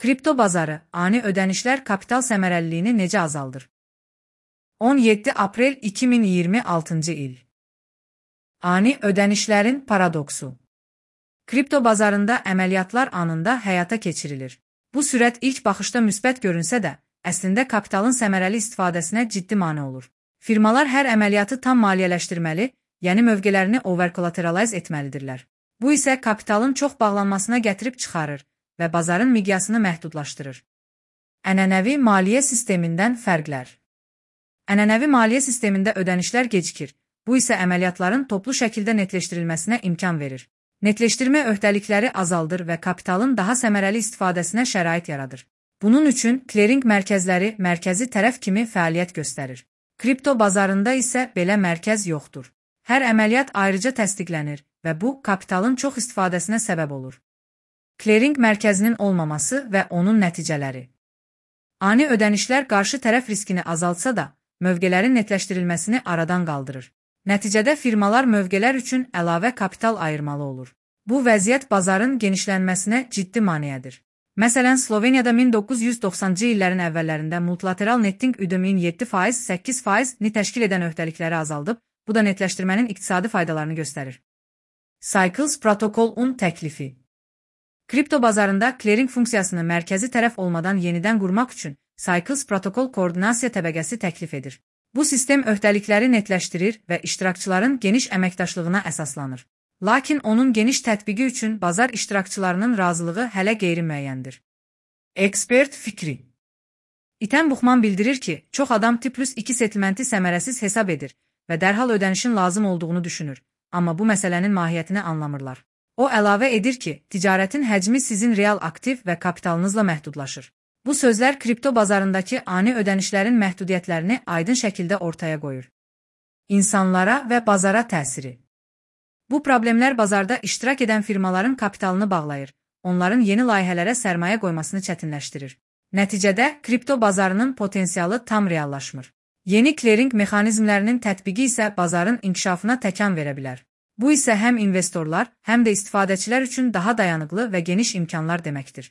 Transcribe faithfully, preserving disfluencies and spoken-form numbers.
Kripto bazarı, ani ödənişlər kapital səmərəliliyini necə azaldır? on yeddi aprel iki min iyirmi altıncı il. Ani ödənişlərin paradoksu. Kripto bazarında əməliyyatlar anında həyata keçirilir. Bu sürət ilk baxışda müsbət görünsə də, əslində kapitalın səmərəli istifadəsinə ciddi mane olur. Firmalar hər əməliyyatı tam maliyyələşdirməli, yəni mövqələrini overcollateralize etməlidirlər. Bu isə kapitalın çox bağlanmasına gətirib çıxarır və bazarın miqyasını məhdudlaşdırır. Ənənəvi maliyyə sistemindən fərqlər. Ənənəvi maliyyə sistemində ödənişlər gecikir. Bu isə əməliyyatların toplu şəkildə netləşdirilməsinə imkan verir. Netləşdirmə öhdəlikləri azaldır və kapitalın daha səmərəli istifadəsinə şərait yaradır. Bunun üçün klering mərkəzləri mərkəzi tərəf kimi fəaliyyət göstərir. Kripto bazarında isə belə mərkəz yoxdur. Hər əməliyyat ayrıca təsdiqlənir və bu, kapitalın çox istifadəsinə səbəb olur. Klering mərkəzinin olmaması və onun nəticələri. Ani ödənişlər qarşı tərəf riskini azaltsa da, mövqələrin netləşdirilməsini aradan qaldırır. Nəticədə firmalar mövqelər üçün əlavə kapital ayırmalı olur. Bu vəziyyət bazarın genişlənməsinə ciddi maneədir. Məsələn, Sloveniyada min doqquz yüz doxsanıncı illərin əvvəllərində multilateral netting üdümün yeddi faiz səkkiz faizini təşkil edən öhdəlikləri azaldıb, bu da netləşdirmənin iqtisadi faydalarını göstərir. Cycles protokolun təklifi. Kripto bazarında klering funksiyasını mərkəzi tərəf olmadan yenidən qurmaq üçün Cycles protokol koordinasiya təbəqəsi təklif edir. Bu sistem öhdəlikləri netləşdirir və iştirakçıların geniş əməkdaşlığına əsaslanır. Lakin onun geniş tətbiqi üçün bazar iştirakçılarının razılığı hələ qeyri-müəyyəndir. Ekspert fikri. İtən Buxman bildirir ki, çox adam T plus iki settlementi səmərəsiz hesab edir və dərhal ödənişin lazım olduğunu düşünür, amma bu məsələnin mahiyyətini anlamırlar. O əlavə edir ki, ticarətin həcmi sizin real aktiv və kapitalınızla məhdudlaşır. Bu sözlər kripto bazarındakı ani ödənişlərin məhdudiyyətlərini aydın şəkildə ortaya qoyur. İnsanlara və bazara təsiri. Bu problemlər bazarda iştirak edən firmaların kapitalını bağlayır, onların yeni layihələrə sərmayə qoymasını çətinləşdirir. Nəticədə, kripto bazarının potensialı tam reallaşmır. Yeni klering mexanizmlərinin tətbiqi isə bazarın inkişafına təkan verə bilər. Bu isə həm investorlar, həm də istifadəçilər üçün daha dayanıqlı və geniş imkanlar deməkdir.